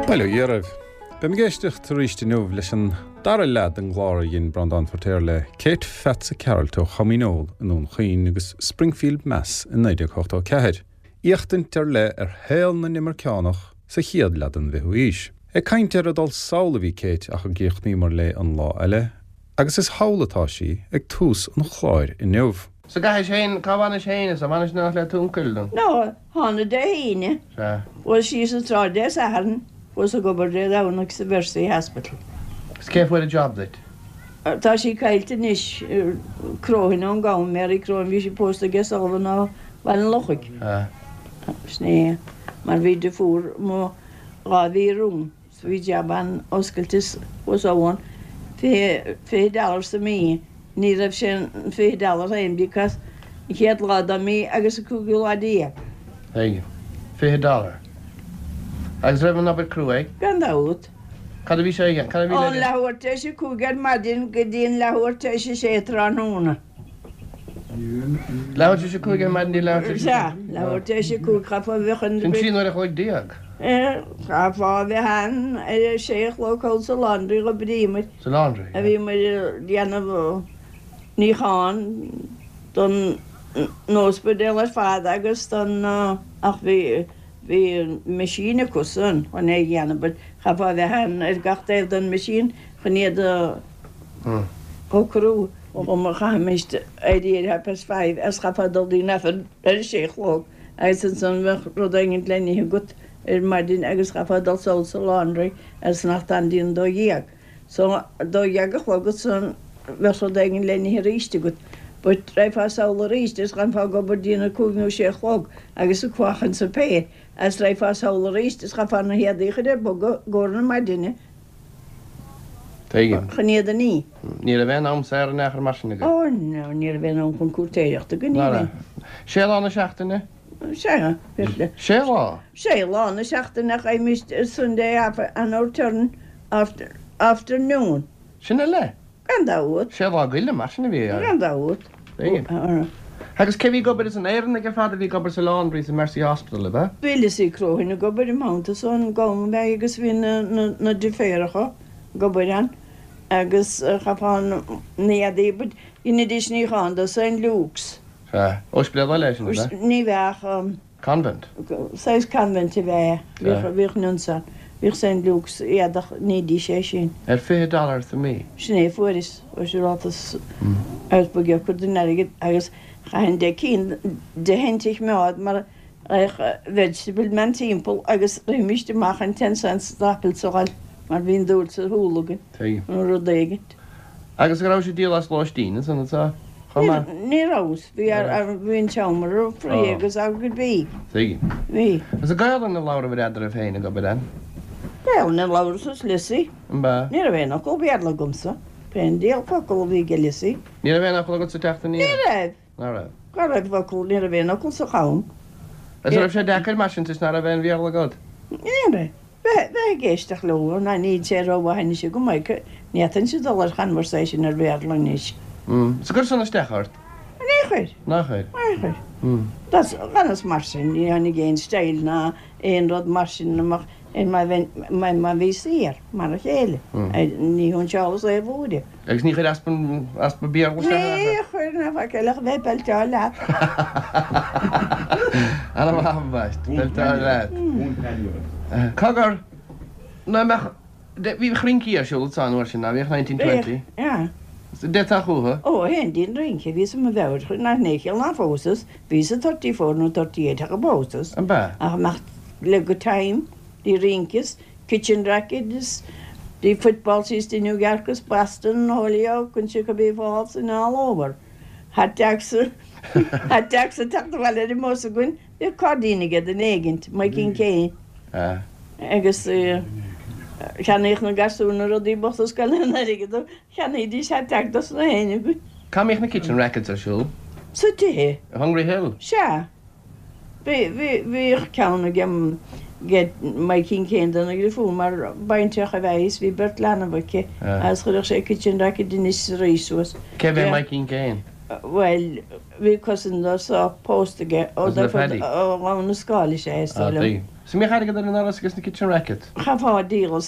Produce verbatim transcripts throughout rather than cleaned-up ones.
Bail ó Dhia oraibh. Beim ag éisteacht arís inniu leis an dara leath den gclár a dhein Breandán Feiritéar le Kate Pheatsa Cearailt ó Chom Dhíneol i nDún Chaoin agus Springfield Mass in naoi déag ochtó ceathair. Éachtaint ar leith ar shaol na n-imirceánach sa chéad leath den bhfichiú haois. Ag caint ar a dul sall a bhí Kate ach a gcríochnaíomar léi an lá eile, agus is thall atá sí ag tús an chláir inniu. So gaiis féin cá bhainis féin is a bhainis nach le túncail dom. No, thána Dé hAoine. Sea. Chuas síos an tsráid Dé Sathairn, chuas ag obair Dé Domhnaigh sa Mercy Hospital. Is cé fuair an job duit? Tá sí caillte anois Croghan ón gCam, Mary Croghan, bhí sí pósta aige Sullivan ó Bhaile an Lochaigh. Sin é mar bhí deirfiúr mo dhá mhí romham so bhí jab an oscailte chuas ann fiche fiche dollar sa mí. Ní raibh sé an fiche dollar féin because an chéad lá den mí agus an cúigiú lá déag. Tuigim. Fiche dollar. Agus raibh an obair cruaidh? Gan dabht. Cad a bhí sé aige? Cad a bhí Ón le leathuair tar éis a cúig ar maidin go dtí an leathuair tar éis a sé tráthnóna. Leathuair tar éis a cúig ar maidin dtí leathuair tar éis a sé? Sea, leathuair tar éis a cúig chaithfeá a bheith Sin trí uair a chloig déag. Chaithfeá a bheith ann ar a sé a chlog thall sa laundry dh'oibríomar. Sa laundry, A bhíomar ag déanamh níochán don n-ospidéal ar fad agus don ach bhí bhí machine acusan chun é a dhéanamh but chaithfeá a bheith ann ar gach taobh den machine chun iad a shocrú. Ó chaithfimis éirí ar half past five as chaithfeá dul dtí an Aifreann ar a sé a chlog agus ansan bheadh rud éigin le n-ithe agat ar maidin agus chaithfeá dul sall sa laundry agus fanacht ann dtí an dó dhéag. So dó dhéag a chlog ansan bheadh rud éigin le n-ithe arís agat. But raghfá sall arís is d'fhanfá ag obair dtí na cúig nó sé a chlog agus ag faochaint suipéir agus raghfá sall arís is chaithfeá na héadaí a chur ar bogadh i gcomhair na maidine Tuigim. chun iad a ní. Ní raibh aon am saor in aon chor mar sin agat? Ó no, ní raibh aon am chun cúirtéireachta againn, ní Ná raibh. raibh. Sé lá na seachtaine? Sea, bhí. Sé lá? Sé lá na seachtaine ach fhaighimist Sunday off on our turn after, afternoon. Sin uile? Gan dabht. Sé lá goile mar sin a bhí Gan dabht. Tuigim. Agus cé bhí ag obair as an Éireannaigh ar fad a bhí ag obair sa laundry sa Mercy Hospital, ab ea? Bhí Lizzie Croghan ag obair i Mount san gcam ab ea agus bhí na, na, na deirfiúracha ag obair ann agus chaithfeá na héadaí but dheinidís níochán do St Luke's. Sea. Ospidéal eile é sin, ab ea? Ní bheadh Convent? Saghas convent a bheadh, Sea. bhíodh nuns ann. Bhíodh St Luke's éadach nídís é sin. Ar fiche dollar sa mí? Sin é a fuaireas, ó sé rátas agus ba ghearr den airgead agus chaithfinn deich cinn de shent a choimeád mar bheadh vegetable man timpeall agus rithimist amach an ten cents d'apples a fháil mar bhí an dúil sa shúil againn Tuigim. nó rud éigint. Agus go raibh sé díol as lóistín ansan anseo chomh maith? Ní rabhas, bhí ar bhí an seomra free agus agat bhí. Tuigim. Bhí. Agus i Gaelainn a labhraíodh eadraibh féin ag obair ann? Gaelainn a labhras is Lizzie. An b'ea? Ní raibh aon fhocal Béarla agamsa. Pé an diabhal focal a bhí ag Lizzie. Ní raibh aon fhocal agat sa teacht aniar? Ní raibh. Ná raibh? Cá raibh focal, ní raibh aon fhocal sa Cham. Agus an raibh sé deacair mar sin toisc ná raibh aon Bhéarla agat? Ní raibh. Bheith bheith ag éisteacht leo, ná níl sé rómhaith anois agam é, ní fhéadfainnse dul ar conversation ar Bhéarla anois. Mm. Is gur san isteach ort? Ní chuir. Ná chuir? Ní chuir. Mm. That's ganas mar sin, ní tháinig aon style ná aon rud mar sin amach ar má bheinn má má bhí saor mar a chéile. Mm. Ní shóinseálas é a bhuaire. Agus ní chuir easpa easpa Béarla isteach Ní ort? chuir ná faic eile ach bheith belteáil leat. Ana mhaith ambaist, belteáil leat. Cogar, ná mbeadh bhí rincí ar siúl an uair sin, ná bhíodh nineteen twenty? Bhíodh, yeah. D'fhéadfá chucu? Ó, théinn dtí'n rince, bhíos i mo mheabhair, nach n-éigean ná phósas, bhíos i thirty four nó thirty eight ach a bpósas. An b'ea? Ach amach le good time, bhí rince, kitchen racket is bhí football síos dtí New York is Boston, Holyoke, and Chicopee Falls and all over. Hot dogs, hot dogs ag teacht abhaile ar an mbus againn, bhíodh cairdín aige duine éigint, Mikeen Kane. Ah. Agus cheannaíodh na gasúir na rudaí bochta scoile an airgead dó, cheannaídís hot dog dos na héinne againn. Cá mbíodh na kitchen rackets ar siúl? Sa tithe. I Hungry Hill? Sea. Bhí, bhí, bhíodh ceann ag ag Mikeen Kane do na deirfiúr mar baintreach a bheith is bhí beirt leanbh aici Ah. agus chuirfeadh sé kitchen racket anois is arís suas. Cé bhí Mikeen Kane? Bhuel, bhí cousin dó seo pósta aige ó Cousin le Paddy? ó Ghabhann na Scáil is é is Ah, dóigh liom. tuigim. Is an mbíodh airgead ar an ndoras agus na kitchen racket? Chaithfeá a dhíol as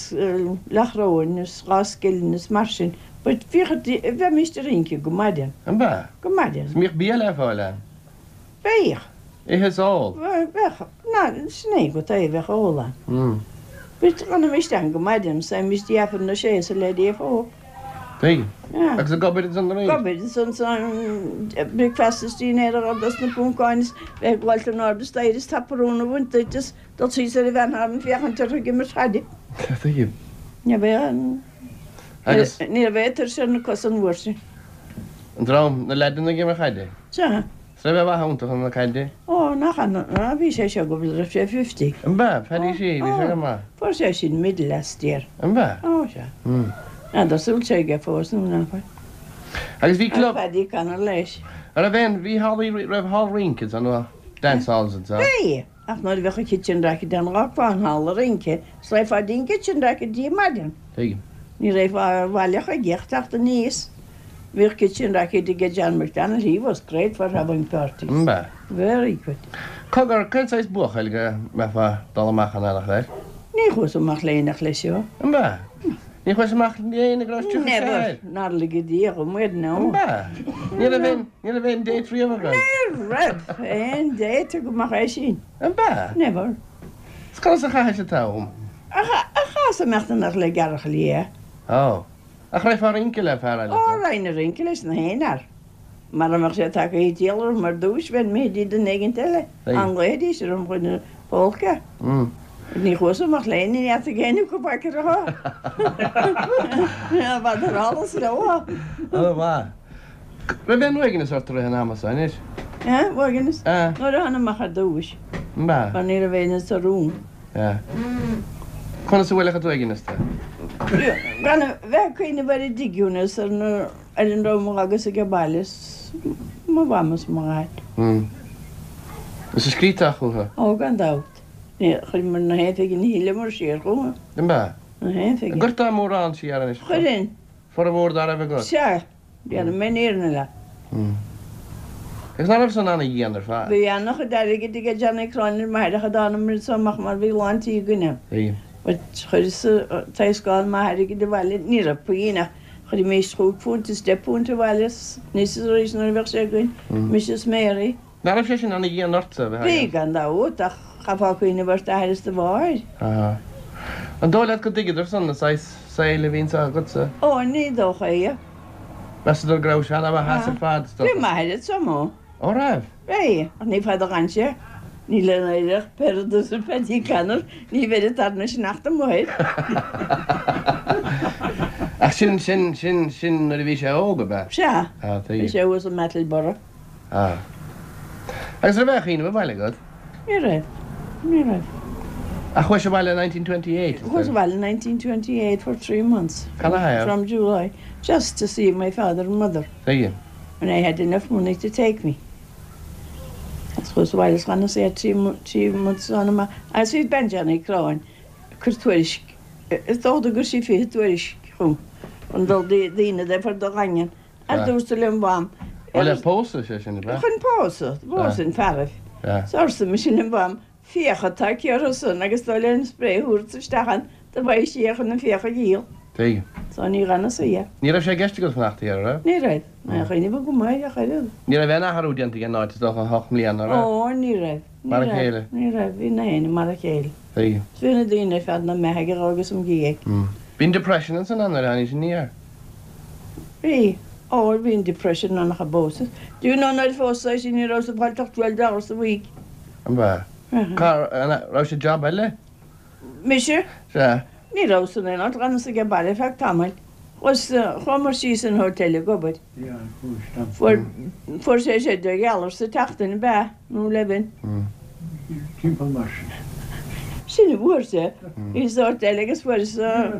leathchoróin is dhá scilling is mar sin, but bhíodh, bheimíst ag rince go maidin. An b'ea? Go maidin. Is an mbíodh bia le fáil ann? Bheadh. Ithe is ól? Bheadh, ná, sin é go taobh, bheadh ól ann. Mm. But d'fhanaimíst ann go maidin, is théimíst dtí Aifreann a sé is a leithéidí a fó. Tuigim. Yeah. Agus ag obair ansan arís? Ag obair ansan san bricfeasta is dinnéar a dhul dos na Poncáin is bheith ag gabháilt in airde staighre is taparún a bhaint duit is dul síos ar an bhean féachaint orthu ag imirt chaide. Tuigim. Ní bheadh an Agus? Ní raibh tuirse ar na cosa an uair sin. An dream, na leaideanna ag imirt chaide? Sea. Is raibh a mhaith iontach chun na caide? Ó, nach an, á, bhí sé seo go raibh sé fifty. An b'ea? Paddy Sheehy, bhí sé go maith. Fuair sé sin medal last year. An b'ea? Ó, sea. N'fheadar an bhfuil sé aige fós nó nach bhfuil. Agus bhí club. Paddy Connor leis. An raibh aon, bhí hallaí, raibh hall rince ansan nó dance halls ansan? Bhí! Ach nuair a bheadh an kitchen racket ann dh'fhágfá an halla rince, is raghfá dtí'n kitchen racket Dé maidin. Tuigim. Ní raghfá abhaile chuige ach teacht aníos. Bhíodh kitchen racket ag John McDonald, he was great for having parties. An b'ea? Very good. Cogar, cén saghas buachaill go mbeifeá ag dul amach an eallach air? Ní chuas amach le éinneach leis seo. An b'ea? Ní chuais amach le éinne go raibh tríocha sé Never. air? Nár lige Dia dhom air, no. An b'ea? Ní raibh aon, ní raibh aon date riamh agat? Ní raibh aon date agam ach é sin. An b'ea? Never. Is conas a chaithis an t-am? Ach, ach chas imeacht amach le gearrchailí liath. Ó. Ach raghfá ag rince le fear eile? Ó, raghainn ag rince leis na haon fhear. Mara mbeadh sé tagtha ag triall orm ar dtúis, bheinn imithe dtí duine éigint eile. An nglaofaidís orm chun na polca? Ní chuas amach le éinne, ní fheadfadh éinne acu faic ar a shon. B'fhada ar allas leo. Ó, mhaith. Raibh aon uaigneas ort i rith an ama seo anois? Uaigneas? Nuair a thána amach ar dtúis. Mar ní raibh éinne sa room. Conas a bhuailfeadh an t-uaigneas tú? Gan a bheith ag cuimhneamh ar an dtigh is ar na ar an raibh mo agus ag baile is mo mham is mo dhaid. Is ar scríobh tú chucu? Ó, gan dabht. Ní chuireamar na haon phingin a thuilleamar siar chucu. An b'ea? Na haon phingin. An gcuirteá mórán siar anois? Chuirfinn. Formhór dá raibh agat? Sea. Déanfaidh mé an fhírinne leat. Agus ná raibh san ana-dhian ar fad? Bhí ana-chuid airgid ag Johnny Cronin ar m'athair ach a dtánamar anso amach mar bhí lán tí againn ann. Bhí. But chuireas taoscán maith airgid abhaile, ní raibh pingin ach chuirimís chúig phunt is deich bpunt abhaile anois is arís nuair a bheadh sé againn, mise is Mary. Ná raibh sé sin ana-dhian ortsa a bheith Bhí, gan dabht, ach chaithfeá cuimhneamh ar d'athair is do mháthair. Aha. An dóigh leat go dtuigeadar san an saghas saoil a bhí anso agatsa? Ó, ní dócha é. Mheasadar go raibh sé ana-mhaith as ar fad, is Bhí dócha. m'athair anso. Ó raibh? Bhí, ach ní fada a d'fhan sé. Ní lena éireach Peredur is Paddy Connor, ní bheidh an tarna sneachta amuigh air. Ach sin, sin, sin, sin nuair a bhí sé óg, ab ea? Sea. Ah, Bhí sé thuas i mBattleborough. Ah. Agus raibh aon chuimhneamh abhaile agat? Ní raibh. Ní raibh. Ach chuais abhaile in nineteen twenty eight, is Chuas dóigh. abhaile in nineteen twenty eight for three months. Canathaobh? From July. Just to see my father and mother. Tuigim. When I had enough money to take me. Agus chuas abhaile is d'fhanas é trí trí months ann amach. Agus bhí bean Johnny Cronin ag cur tuairisc. Is dócha go gcuir sí fiche tuairisc chugam. Chun dul daoine de fir do Dhaingean. Ar dtús le mham. Ó le pósadh sé sin, ab ea? Chun pósadh, pósadh an fearaibh. 'S arsa mise lem mham, fiacha atá aici orthu san agus dóigh le an spré a thabhairt isteach ann do bheidh sí chun na fiacha a dhíol. Tuigim. So ní dh'fhanas é. Ní raibh sé i gceist agat fanacht thiar, an raibh? Ní raibh. Ní raibh cuimhneamh agam air ach oiread. Ní raibh aon athrú déanta ag an áit is dócha ocht mbliana, an raibh? Ó, ní raibh. Ní Mar a raibh. chéile. Ní raibh. Bhí na héinne mar a chéile. Tuigim. 'S bhí na daoine ar fad 'na mbeathaigh dhó agus im dhiaidh. Bhí an depression ansan ann nuair a tháinig aniar. Bhí. Ó, bhí an depression ann ach a bpósadh. Do you know nuair a phósadh é sin ní raibh sa bhaile ach twelve dollars a week. An b'ea? Cá raibh sé job eile? Mise? Sea. Ní raibh san aon áit, d'fhanas age baile feadh tamaill. Chuas, chuamar síos an hotel ag obair. Fuair, fuair sé sé deich dhollar sa tseachtain, ab ea? Nó eleven. Timpeall mar sin. Sin a fuair sé. Bhí sa hotel agus fuair sa,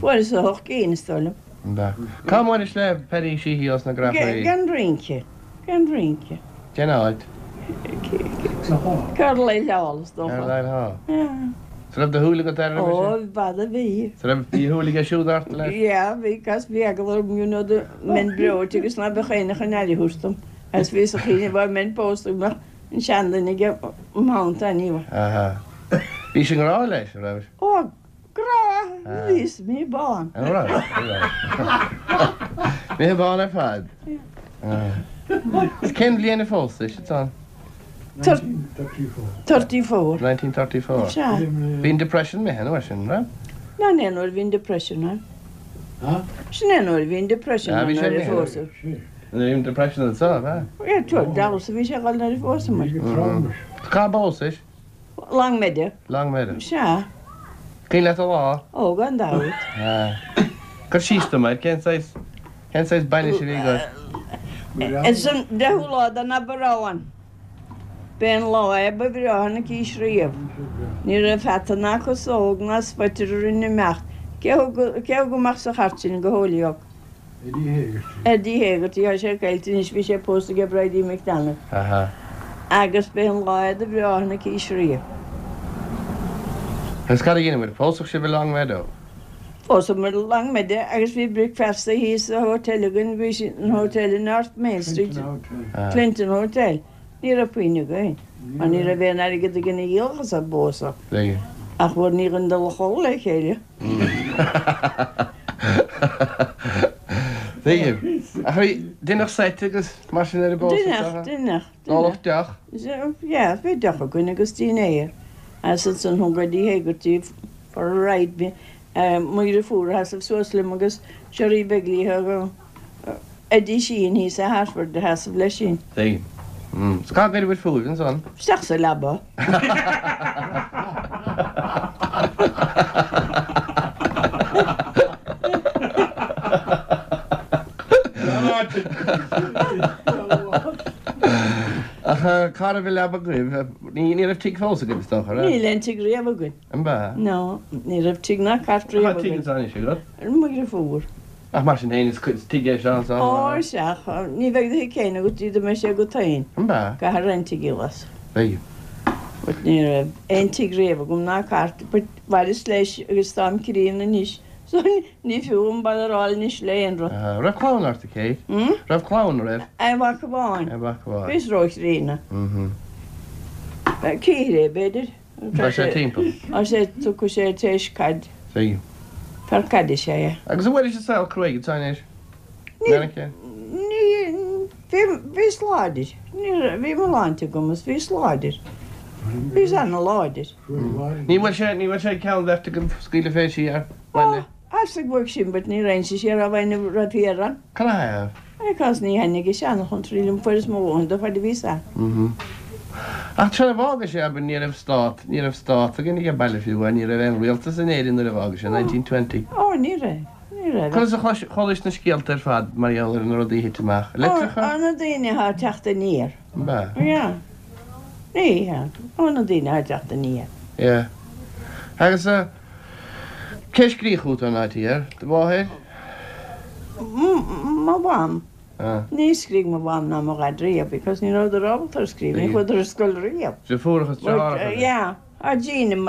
fuair sa hocht gcinn is dóigh liom. An b'ea? Cá mbuailis le Paddy Sheehy os na Grafairí? Gan rince. Gan rince. Cén áit? Carlisle Hall, is dócha. Carlisle Hall. Yeah. 'S raibh do shúil agat air roimhe Ó, sin? b'fhada a bhí. 'S raibh bhí a shúil aige siúd ort leis? Yeah, bhí, 'cause bhí eagla orm, you know, dá mbeinn breoite agus ná beadh éinne chun aire a thabhairt dom. Agus bhíos ag cuimhneamh dá mbeinn pósta go mbeadh an seanduine ag mo theannta anyway. Aha. Bhís i ngrá leis, an raibh? Ó, grá, bhíos, imithe bán. An raibh? An raibh. Imithe bán ar fad. Is cén bhliain a phósais, ansan? nineteen thirty-four. Thirty-four. nineteen thirty-four. Sea. Bhí an Depression imithe an uair sin, raibh? Ná ní nuair a bhí an Depression ann. Sin é nuair a bhí an Depression ann nuair a phósadh. Nuair a bhí an Depression anso, ab ea? Yeah, tuair, Dallas a bhí sé ag dul nuair a phósamar. Cá bpósais? Longmeadow. Longmeadow. Sea. Cuimhin leat an lá? Ó, gan dabht. Cuir síos dom air, cén saghas, cén saghas bainis a bhí agat? Is an deichiú lá den Aibreán. B'é an lá é ba bhreátha ina cís riamh. Ní raibh peata ná casóg ná sputter orainn imeacht. Cé thug, cé thug amach sa chairt sinn go Holyoke? Eddie Hegarty. Eddie Hegarty, tá sé caillte anois, bhí sé pósta ag Bridie McDonald. Aha. Agus b'é an lá é do bhreátha ina cís riamh. Agus cad a dheineabhair? Pósadh sibh i Longmeadow? Pósadh i Longmeadow agus bhí bricfeasta thíos sa hotel againn, bhí sin an hotel i North Main Street. Clinton Hotel. Clinton Hotel. Ní raibh puinn againn, mar ní raibh aon airgead againn a dhíolfadh as an bpósadh. Ach bhfuair ní ghin dul a chodladh le chéile. Tuigim. Ach bhí deineadh seit agus mar sin ar an bpósadh? Deineadh, deineadh. Óladh deoch? Yeah, bhí deoch againn agus dinnéar. Agus ansan thug Eddie Hegarty for a ride me. Mo dheirfiúr a sheasamh suas liom agus Sherry Begley thug Eddie Sheehan thíos i Hartford a sheasamh leis sin. Tuigim. Is cá gcuireabhair fúibh ansan? Isteach sa leaba. Ach cá raibh an leaba agaibh? Ní raibh tigh fós agaibh is dócha, raibh? Níl aon tigh riamh againn. An b'ea? No, ní raibh tigh ná cairt riamh Tá tigh againn. ansan anois agat? Mo dheirfiúr. Ach mar sin féin, is tigh é seo ansan. Ó, sea, ní bheidh do thigh féin agat dá mbeidh sé agat féin. An b'ea? Caithfidh roinnt a dhíol as. Beidh. But ní raibh aon tigh riamh agam ná cairt, but mhaireas leis agus táim críonna anois, so ní fiú an baile anois le aon rud. Raibh clann ort, a Kate? Hmm? Raibh clann, raibh? Aon mhac amháin. Aon mhac amháin. Bhíos róchríonna. Mhm. Ceithre, b'fhéidir. Tá sé timpeall. Tá sé, tugtha sé tar éis caid. Tuigim. Fear caide is ea é. Agus an bhfuil an saol cruaidh ansan anois? Ní, ní, bhí, bhíos láidir. Ní raibh, bhí mo shláinte agam is bhíos láidir. Bhíos ana-láidir. Ní bhfuil sé, ní bhfuil sé ceann bheirt agaibh scaoileadh fé siar, baile? Ó, as ag bhfuil sin, but ní raghainn siar á bheinn raibh thiar ann. Cad a thaobh? I gcás ní thaitnigh a seanchontraí liom fuaireas mo dhóthain de fad a bhíos ann. Mhm. Ach tráth a bhfága sé, abair, ní raibh stát, ní raibh stát againn ag baile fiú, ní raibh aon rialtas in Éirinn nuair a bhfága sé, nineteen twenty. Ó, ní raibh, ní raibh. Conas a chlois, chualais na scéalta ar fad mar gheall ar na rudaí a thit amach? Litreacha? Ó, na daoine atá ag teacht aniar. An b'ea? Yeah. Ní hea. Ó, na daoine atá ag teacht aniar. Yeah. Agus, eh, cé a scríobh chugat ón áit thiar? Do mháthair? Mo mham. Ní scrígh mo mham ná mo dhaid riamh because ní rabhadar ábalta ar scríobh, ní chuadar ar scoil riamh. Deirfiúracha is deartháireacha. Yeah, ah Jean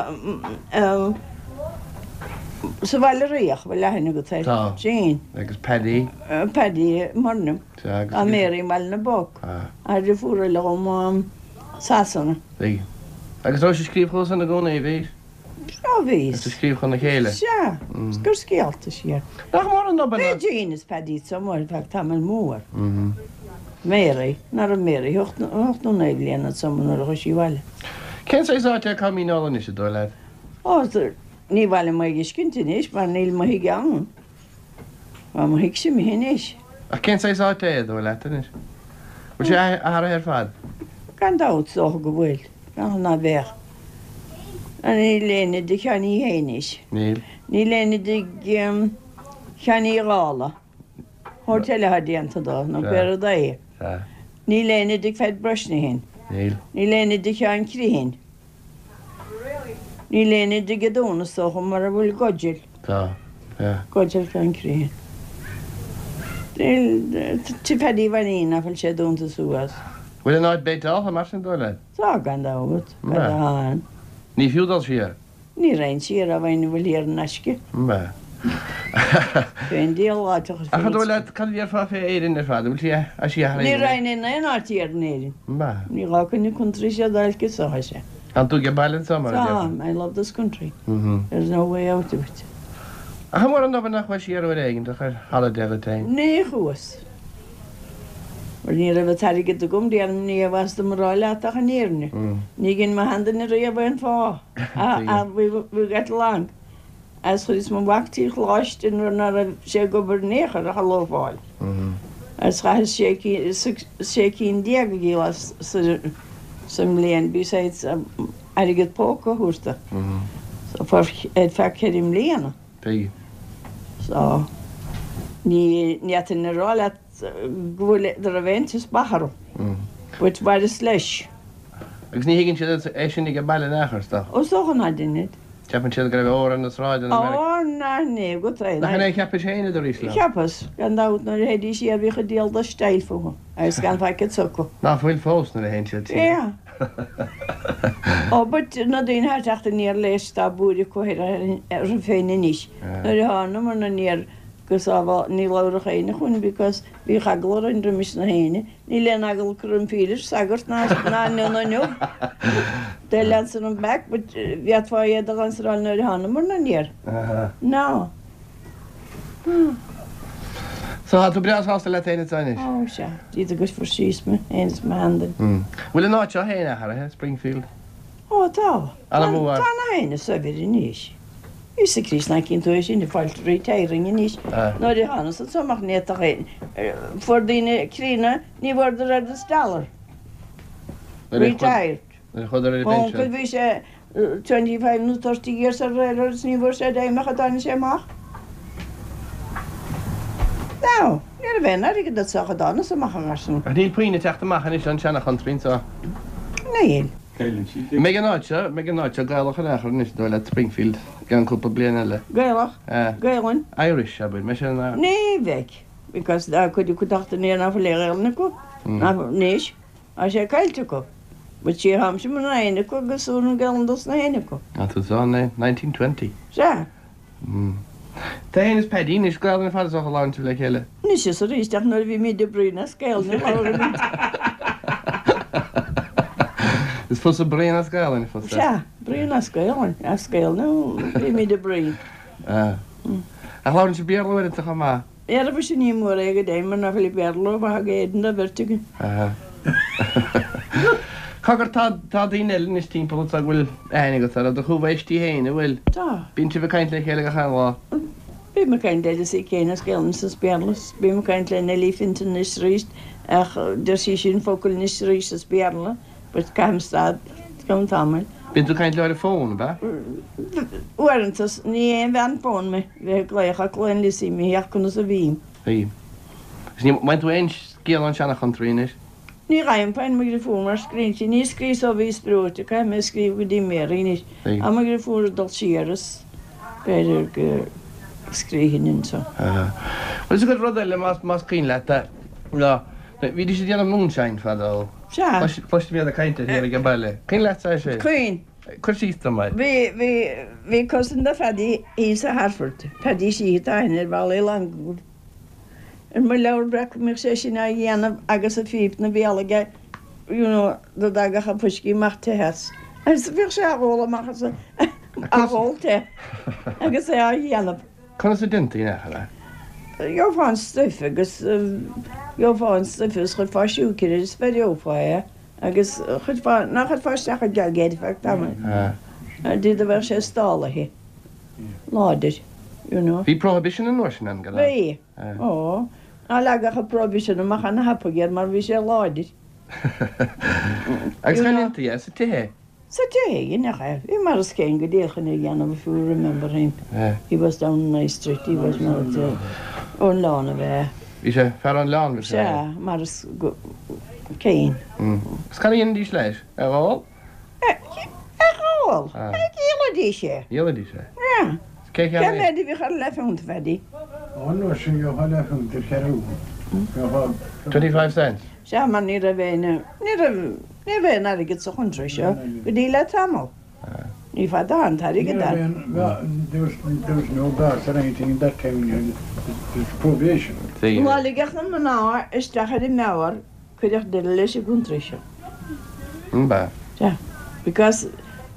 sa Bhaile Riach, bhfuil aithne agat air? Tá. Jean. Agus Paddy. Paddy Murnham. Tá, agus. Tá Mary i mBaile na bPoc. Ah. Tá deirfiúr eile dhom Sasana. Bhí. Agus raibh sé ag scríobh chugat san i gcónaí, bhí? Sea, bhí. Is ag scríobh chun a chéile. Sea, is gur scéalta siar. Nach mór an obair Bhí Jean is Paddy anso ar feadh tamall mór. Mary, ná raibh Mary ocht nó naoi bliana anso nuair a chuaigh sí abhaile. Cén saghas áit é Com Míneola anois, an dóigh leat? Ó, ní maith liom é a fheiscint anois mar níl mo thigh ann. Tá mo thighse imithe anois. Ach cén saghas áit é, an dóigh leat anois? Bhfuil sé athraithe ar fad? Gan dabht, is dócha go bhfuil. Ach ná beadh. Níl éinne i dtigh Sheáin Uí Shé anois. Níl. Níl éinne i dtigh Sheáin Uí Dhálaigh. Hotel atá déanta dó, nó pé rud é. Sea. Níl éinne i dtigh Pheaid Brosnahan. Níl. Níl éinne i dtigh Sheáin Criomhthain. Níl éinne i dtigh an Dúna, is dócha, mura bhfuil Gudgell. Tá. Sea. Gudgell Sheáin Criomhthain. Níl, tigh Phaddy Mhainín, nach bhfuil sé dúnta suas. Bhfuil an áit béiteáltha mar sin, dóigh leat? Tá, gan dabht. An ea? Tá ann. Ní fiú dul siar? Ní raghainn siar á bheinn a bhfuil thiar in aisce. An ea? Fén diabhal áit a Ach an dóigh leat, cad a déarfá fé Éirinn ar fad? An bhfuil sí a sí athraithe? Ní raghainn in aon áit thiar in Éirinn. An ea? Ní gá coinne contrí sé d'fháilce so, a sé. Tá tú age baile anseo mar a déarfá? Tá, I love this country. There's no way out of it. Ach an mór an obair nach bhfuil siar uair éigin do chuir holiday agat féin? Ní chuas. Mar ní raibh an t-airgead agam, déarfainn ní bhfas dom a rá leat ach an fhírinne. Ní dhein mo sheanduine riamh aon fáth. Ach we we got along. Agus chuireas mo mhac trí choláiste nuair ná raibh sé ag obair in aon chor ach a loafáil. Agus chaitheas sé cinn sé cinn déag a dhíol as sa sa mbliain besides airgead póca a thabhairt do. So for ar feadh ceithre mbliana. So ní ní fhéadfainn a rá leat go bhfuil go raibh aon teaspach orm. But mhaireas leis. Agus ní thuigeann siad é sin ag baile in aon chor, is dócha? Ó, is dócha ná deinead. Ceapann siad go raibh ór ar na sráideanna i Meiriceá. Ó, ná ní agat é. Nach in é a cheapais féin i do aois? Cheapas, gan dabht, nuair a théidís siar bhíodh an diabhal de style fúthu agus gan faic s'acu. Ná fuil fós nuair a théann siad siar. Yeah. Ó, but na daoine atá ag teacht aniar leis tá buaidh acu orthu féin anois. Nuair a thánamar aniar go sábháil, ní labhradh éinne chugainn because bhíodh eagla orainn roimis na héinne. Níl aon eagla acu roim Phílis, sagart ná ná nun inniu. They'll answer them back but bhféadfá iad a answeráil nuair a thánamar aniar. No. So tá tú breá sásta leat féin anseo anois? Ó sea, Dia duit agus fuair síos mé féin is mo sheanduine. Bhfuil an áit seo féin athraithe, Springfield? Ó tá. Ana mhór. Tá na héinne saibhir anois. Íosa Críost nach gcíonn tú é sin ag fáilt retiring anois. Nuair a thánas anso amach ní fhéadfadh aon, fuair daoine críonna, ní bhfuaireadar oiread is dollar. Retired. Nuair a chuadar ar a Mo uncail bpinsean. bhí sé twenty five nó thirty years ar railroad is ní bhfuair sé dime ach a dtáinig sé amach. Now, ní raibh aon airgead anso ach a dtánas amach an garsún. Ach níl puinn ag teacht amach anois ón seana-chountry anseo. Níl. Cailleann siad. An mbeidh an áit seo, an mbeidh an áit seo Gaelach in aon chor anois, dóigh leat, Springfield, i gceann cúpla bliain eile? Gaelach? Gaelainn? Irish, abair, mbeidh sé ina. Ní bheidh, because tá cuid acu teacht aniar ná fuil aon Ghaelainn acu, ná anois, tá sé caillte acu. But sí tháimse muna éinne acu agus úr an Ghaelainn dos na héinne acu. Tá tú ann, nineteen twenty. Sea. Tú fhéin is Paddy anois, Gaelainn ar fad is dócha a labhrann sibh le chéile. Anois is arís ach nuair a bhímid ag bruíon as Gaelainn a labhraímid. Is fusa bruíon as Gaelainn fosta. Sea, bruíon as Gaelainn, as Gaelainn a bhímid ag bruíon. Ach labhrann sibh Béarla uaireanta chomh maith? Ara sin ní mór é go deimhin mar nach bhfuil Béarla mhaith ag éinne den bheirt againn. Cogar, tá tá daoine eile anois timpeall ort a bhfuil aithne agat orthu, do chomhaoistigh féin, an bhfuil? Tá. Bíonn sibh ag caint le chéile gach aon lá? Bím ag caint le Lizzie Kane as Gaelainn is as Béarla. Bím ag caint le Nellie Fintan anois arís ach deir sí sin focal anois arís as Béarla but caithim stad go ceann tamaill. Bíonn tú ag caint leo ar an bhfón, ab ea? Uaireanta, ní aon bhean fón mé, bheith ag glaoch ach glaonn Lizzie mé ach conas a bhím. Bhí. Agus ní bhfaigheann tú aon scéal ón seana-chountry anois? Ní fhaighim, faigheann mo dheirfiúr mar scríobhann sí, ní scríobh ó bhíos breoite, caithfidh mé scríobh go dtí Mary anois. Tá mo dheirfiúr ag dul siar is b'fhéidir go scríobhfainn anso. Bhuel is agat rud eile más más cuimhin leat é ná bhídís ag déanamh moonshine fadó. Sea. Cloisim iad ag caint air thiar ag an baile. Cuimhin leatsa é sin? Cuimhin. Cuir síos dom air. Bhí, bhí, bhí cousin de Phaddy thíos i Hartford, Paddy Sheehy atá aithne ar Bhaile Uí Longáin. Ar mo leabhar breac go mbíodh sé sin á dhéanamh agus a phíp 'na bhéal aige you know dá dtagadh an fuiscí amach te as. Agus bhíodh sé á ól amach as á ól te agus é á dhéanamh. Conas a déantaí in aon chor é? Gheofá an stuif agus gheofá an stuif agus chuirfeá siúcra air is bheireofá é agus chuirfeá, ná chuirfeá isteach i jug é ar feadh tamaill dtí do bheadh sé stálaithe láidir. You know. Bhí prohibition an uair sin ann, gan dabht. Bhí. Ó. Ná leagadh an prohibition amach ana thapaidh air mar bhí sé láidir. Agus cá ndéantaí é? Sa tigh? Sa tigh, nach ea. Bhí Maurice Kane go díreach chun é a dhéanamh if you remember him. He was down in High Street, he was not ón Leán ab ea? Bhí sé, fear ón Leán bhí sé. Sea, Maurice Kane. Agus cad a dhéanaidís leis? É a dh'ól? É a dh'ól? Dhíolaidís é. Dhíolaidís é? Yeah. Cé Cé mhéad a bhíodh ar leathphunt, a Phaddy? An uair sin gheofá leathphunt ar cheathrú. Gheofá. Twenty five cents. Sea, mar ní raibh aon, ní raibh, ní raibh aon airgead sa chountry seo go dtí le tamall. Ní fada an t-airgead Ní raibh aon, there was, there was no gas or anything in that time, you know, there was prohibition. Ná ligeadh na mná isteach ar an mbeár, cuireadh deireadh leis an gcountry seo. An b'ea? Sea, because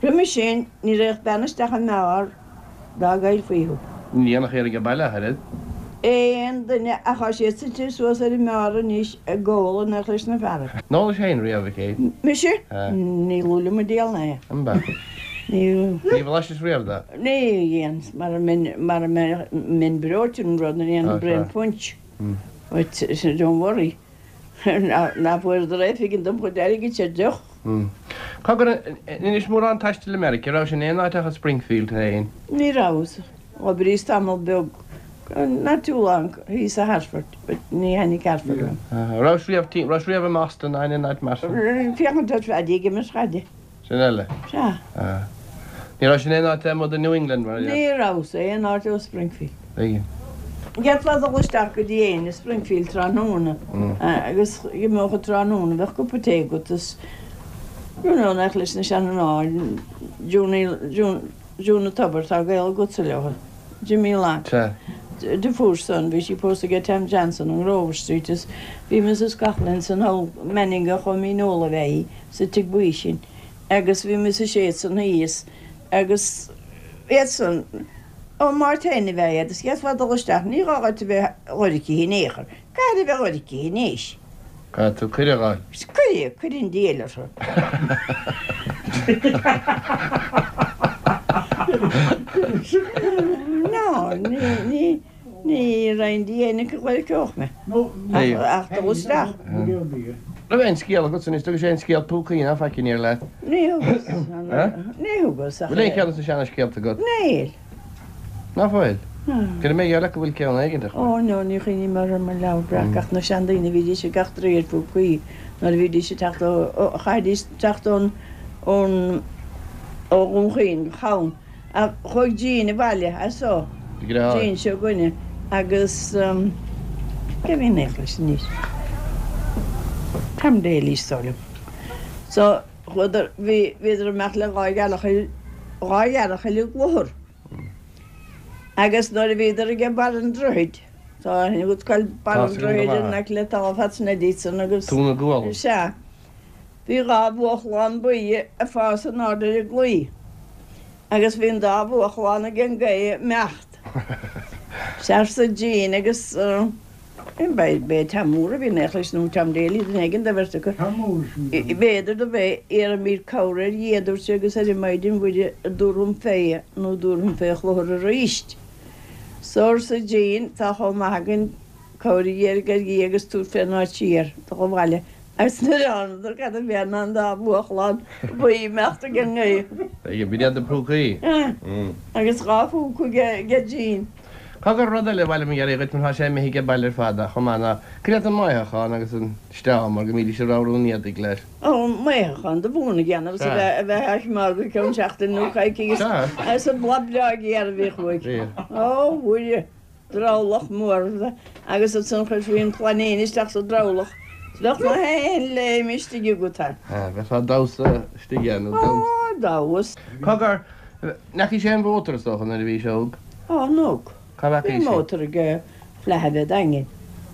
Roimhe sin ní raghadh bean isteach i mbeár dá gcaillfí thú. Ní dhéanfadh iarraidh ag baile ach oiread. Aon duine ach tá siad suite suas ar an mbeár anois ag ól in éineacht leis na fearaibh. An ólais féin riamh, a Kate? Mise? Ní luaile mo diabhal ná é. An b'ea? Ní. Ní bhlaisis riamh de? Ní dhéan, mara mbeinn, mara mbeinn breoite an rud, ní dhéanfainn braon punch. But don't worry. Ná fuaireadar aon phingin dom chuid airgid ar deoch. Cogar, an inis mórán taistil i Meiriceá, raibh sin aon áit ach i Springfield féin? Ní rabhas. D'oibríos tamall beag, not too long, thíos i Hartford, but ní thaitnigh Hartford liom. Raibh riamh, raibh riamh i mBoston ná in aon áit mar sin? Féachaint ar Phaddy ag imirt chaide. Sin eile. Sea. Ní raibh sin aon áit amuigh de New England mar a Ní rabhas aon áit ó Springfield. Tuigim. D'fhéadfá dul isteach go dtí éinne i Springfield tráthnóna agus d'imeodh an tráthnóna, bheadh cupa tae agat is you know nach leis na seanmhná, Junie, June an Tobair, tá gaol agatsa leo, Jimmy Long. Sea. Deirfiúr san, bhí sí pósta aige Tom Johnson on Grover Street is bhí Mrs Coughlin san hall, Manninga Chó Míneola a bheith í, sa tigh buí sin agus bhí Mrs Yates san thíos agus iad san, Ó Máirt féin a bheith iad, is d'fhéadfá dul isteach, ní gá dhuit a bheith dhoirchithe in aon chor. Caithfidh a bheith dhoirchithe anois. Caithfidh tú cuireadh a fháil. Cuireadh, cuireadh an diabhal orthu. No, ní, ní, ní raibh an diabhal acu dhoircheodh mé. Ach, ach dul isteach. Raibh aon scéal agat anois, dtugais aon scéal púcaí ná faic aniar leat? Ní thugas. Ní thugas ach. Bhfuil aon cheann de na seana-scéalta agat? Níl. Ná fuil? Go raibh mé gheall leat go bhfuil ceann éigin acu. Ó no, ní chuimhním orthu ar mo leabhar breac ach na seandaoine bhídís ag eachtraí ar phúcaí nuair a bhídís ag teacht ó, chaithfidís teacht ón, ón, ó Dhún Chaoin go Cam. Ach chuaigh Jean abhaile as so, Jean seo againne, agus cé a bhí in éineacht leis anois? Tom Daly is dóigh liom. So chuadar, bhí, bhíodar amach le dhá ghearrchaile, dhá ghearrchaile i gcluthar. Agus nuair a bhíodar ag barr an droichid, tá aithne agat cá bhfuil barr an droichid in aice le talamh Phat Sneddys san agus, Tóin na gCualann. sea, bhí dhá bhuachlán buí ag fás in airde ar an gclaí agus bhí an dá bhuachlán ag an gaoth ag imeacht. Sea arsa Jean agus b'é Tom Mór a bhí in éineacht leis nó Tom Daly, duine éigin de bheirt acu. Tom Mór sin. B'fhéidir do b'é, iarraimid cabhair ar Dhia, a dúirt sé, agus ar an Maighdean Mhuire a dtabharfam fé nó dtabharfam fé chluthar arís. So arsa Jean, tá chomh maith againn cabhair a iarraidh ar Dhia agus tabhairt fén áit siar dul abhaile. Agus nuair a thánadar cad a bhí ann ná an dá bhuachlán buí ag imeacht ag an ngaoth. B'in iad na púcaí. Agus dhá phúca aige Jean. Cogar, rud eile ar mhaith liom a iarraidh dhuit mar tá sé imithe age baile ar fad ach chomh maith ná cad iad an maothachán agus an steámar go mbídís ag ramhrú an éadaigh leis. Ó, maothachán do mhún a dhéanamh is a bheith a bheith á choimeád go ceann seachtaine nó coicíos agus an blas breá géar a bhíodh uaidh. Ó, Mhuire, drabhlach mór agus ansan chuirfí an clainín isteach sa drabhlach is bheadh na haon léim istigh agat ann. Bheifeá ag damhsa istigh ann, nó damhsa. Ó, damhsa. Cogar, ndeachaigh sé an mhótar is dócha nuair a bhí sé óg? Ó, an óg. Cá bhfeacaigh Bhí sí? mótar aige Flaithbheith Daingin.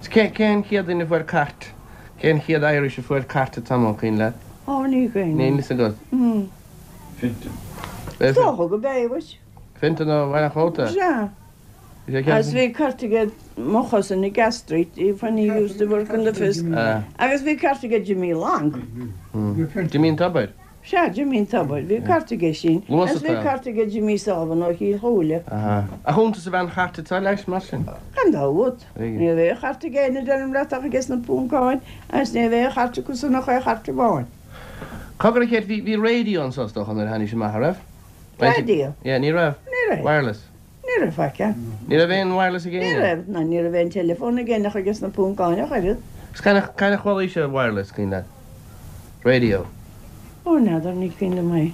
Cé cén chéad duine a fuair cairt? Cén chéad Irish a fuair cairt an t-am, an cuimhin leat? Ó, ní cuimhin. Níl fhios agat? Mm. Fintan. Is dócha go b'é, mhuis. Fintan ó Bhaile an Chóta? Sea. Bhí sé ceann. Agus bhí cairt aige mo chousin i Gas Street, when he used to work in the Fisk. Agus bhí cairt aige Jimmy Long. Jimmy an Tobair? Sea, Jimmy an Tobair. Bhí cairt aige sin. Luas Agus bhí atá. cairt aige Jimmy Sullivan ó Chill Chúile. Aha. Ach iontas a bheith an chairt atá leis, mar sin. Gan dabht. Tuigim. Ní raibh aon chairt ag éinne, deirim leat, ach aige sna Poncáin, agus ní raibh aon chairt acu san ach aon chairt amháin. Cogar a Kate, bhí, bhí raidió anso is dócha nuair a tháinig sé amach, a raibh? Raidió? Yeah, ní raibh. Ní raibh. Wireless. Ní raibh faic ann. Ní raibh aon wireless ag Ní éinne? raibh, ná ní raibh aon teileafón ag éinne ach aige sna Poncáin ach oiread. Agus cathain a, cathain a chualaís sé wireless, cuimhin leat? Radio. Ó, n'fheadar, ní cuimhin liom é.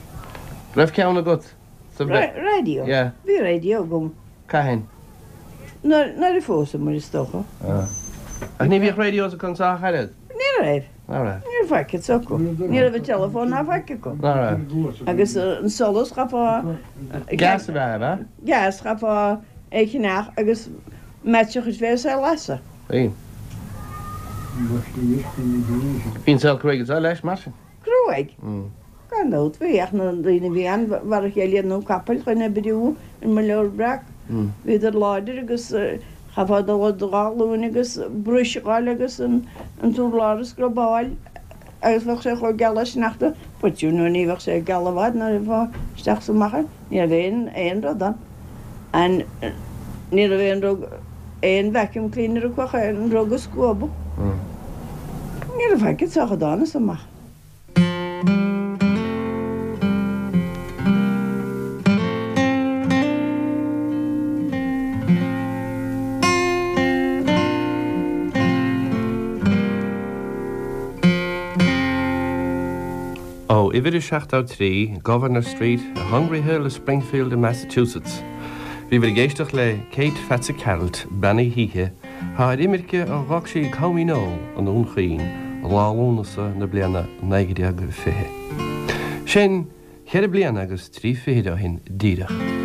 Raibh ceann agat sa bhre-. Raidió? Yeah. Bhí raidió agam. Cathain? Nuair, nuair a phósamar, is dócha. Ah. Ach ní bhíodh radios acu anso ach oiread? Ní raibh. Ná raibh? Ní raibh faic acu. Ní raibh an teileafón ná faic acu. Ná raibh? Agus an solas, chaithfeá. Gas a bheith, ab ea? Gas, chaithfeá é a cheannach agus match a chur fé is é a lasadh. Bhí. Bhí an saol cruaidh anseo leis, mar sin. Cruaidh? Gan dabht bhí ach na daoine bhí ann mar a chéile nó capaill chun oibriú an Muileann Breac. Bhíodar láidir agus chaithfeá dul ar do dhá ghlúin agus bruis a fháil agus an an t-urlár a scrubáil agus bheadh sé chomh geal le sneachta. But you know ní bheadh sé geal i bhfad nuair a bheifeá isteach is amach ann. Ní raibh aon aon rud ann. And ní raibh aon rug aon vacuum cleaner acu ach an rug a scuabadh. Ní raibh faic sách dána is amach. Ó uimhir a seachtó trí, Governor Street, i Hungry Hill i Springfield i Massachusetts. Bhíobhair ag éisteacht le Kate Pheatsa Cearailt, Bean Uí hÍche, thá ar imirce ó dh'fhág sí Com Dhíneol i nDún Chaoin, lá Lúnasa na bliana naoi déag fiche. Sin ceithre bliana agus trí fichid ó shin díreach.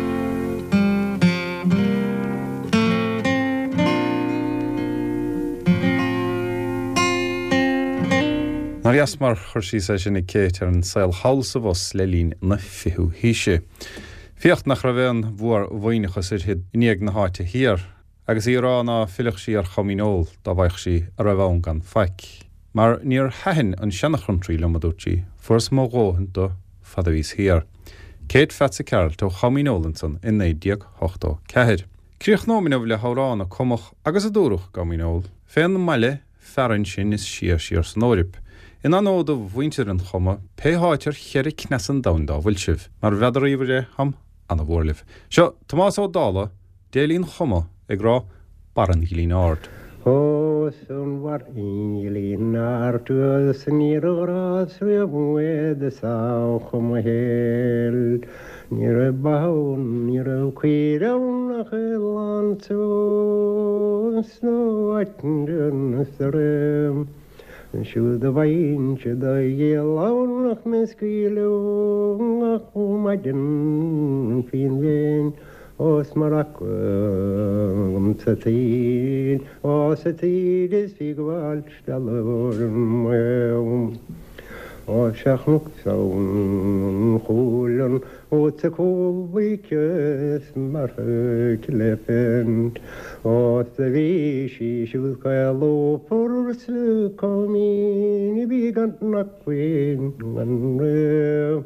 Nár dheas mar chur síos é sin ag Kate ar an saol thall sa bhus le linn na fichiú haoise. Féach nach raibh aon mhór-mhaoithneachas uirthi i ndiaidh na háite thiar, agus í ag rá ná fillfeadh sí ar Chom Dhíneol dá bhfaigheadh sí a raibh ann gan faic. Mar níor thaitin an seana-chountry liom, a dúirt sí, fuaireas mo dhóthain de fad a bhíos thiar. Kate Pheatsa Cearailt ó Chom Dhíneol ansan i naoi déag ochtó ceathair. Críochnóimid inniu le hamhrán a cumadh agus a dúradh i gCom Dhíneol, fén mbaile fearainn sin is sia siar san Eoraip. In onóir do mhuintir an Choma, pé háit ar cheithre cneas an domhain dá bhfuil sibh, mar n'fheadar riamh é, táim ana-mhór libh. Seo Tomás Ó Dálaigh, Déilín Choma, ag rá Barr an Ghlinne Aird. Ó 's an barr an ghlinne aird is níor ghrás riamh é do sa Choma Thoir. Ní raibh ba ann, ní raibh caoire ann ach oileán suas nó áit an Siúd a bhfaighinn do dhíol ann ach mé scaoileadh gach maidin faoin bhféinn Ós mar agam sa tír, ó sa tír is bhí gabháil stealladh orm. Ó sé chnoc an chúileann ó sa cúl-bhuíochas mar chleifean. Ó sa bhí sí siúd caolófar sa coimín a bhí gan acmhainn gan ré.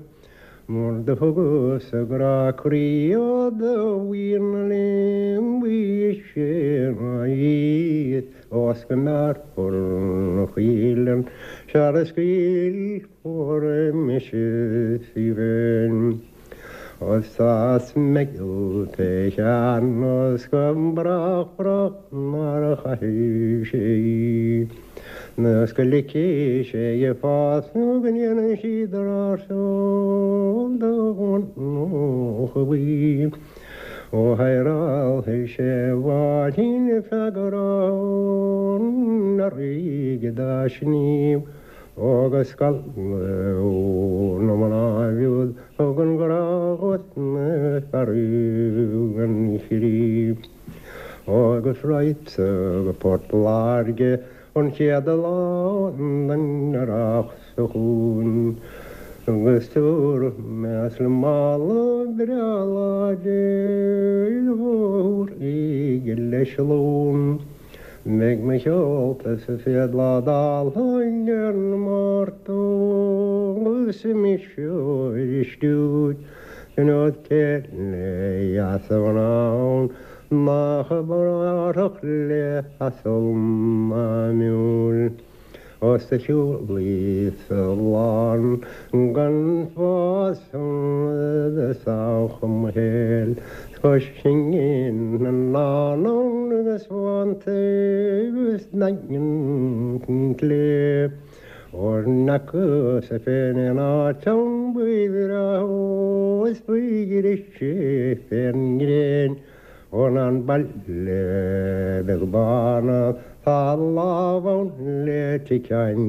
Mar do thugas a grá croí ó do bhíon linn bhí sé í Ós go mbearrfar an choileann sear a scaoilfear mise í féin. Os as meigeall fé cheann os go brách brách mar a chaithfidh sé í. Nós go ligfidh sé i fás nó go ndéanfaidh sí drár sól do bhuí. Ó heireálfaidh sé bháirín feadh na ríge dá sníomh agus scal na mná bhiúd thug an grá na fearú an chrí. Agus raghadsa go Port Láirge an chéad lá den earrach seo chugainn. Agus tabharfaidh mé le mála breá láidir mhór aige leis an lón. Beidh mo sheolta sa chéad lá d'Alhain ar an Márta agus mise ar stiúir den fhód céile dheas a bhí ann nach brárthach le hasal ná miúil. Os a shiúlaí sa lán gan spás sa chomhshaol cois phingin na ndán agus fánta agus daingean clé. Óir n'fheacas féin aon áit ann ba bhreá is ba ghrise fén ngréin ó ná an baile beag bán tá lámh ann le ticeáin.